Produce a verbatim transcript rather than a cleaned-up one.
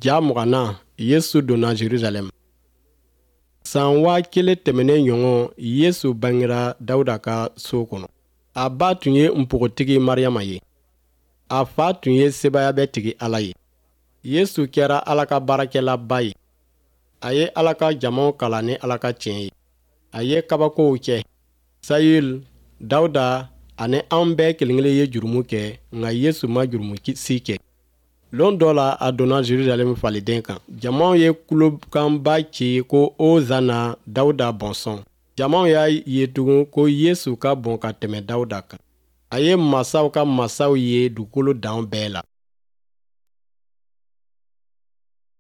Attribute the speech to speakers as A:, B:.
A: Ja mugannan, Yesu donna Jerusalɛm. San waa kelen tɛmɛnen ɲɔgɔn, Yesu bangera Dawuda ka so kɔnɔ. A ba tun ye npogotigi Mariyama ye. A fa tun ye sebaayabɛɛtigi Ala ye. Yesu kɛra Ala ka baarakɛlaba ye. A ye Ala ka jamaw kalan ni Ala ka tiɲɛ ye. A ye kabakow kɛ. Sayul, Dawuda ani an bɛɛ kelen-kelen ye jurumu kɛ, nka Yesu ma jurumu si kɛ. Lon dɔ la, a donna Jerusalɛm faliden kan. Jamaw ye kulokanba ci ko Ozana Dawuda bɔnsɔn. Jamaw y'a ye tugun ko Yesu ka bon ka tɛmɛ Dawuda kan. A ye masaw ka masaw ye dugukolo dan bɛɛ la.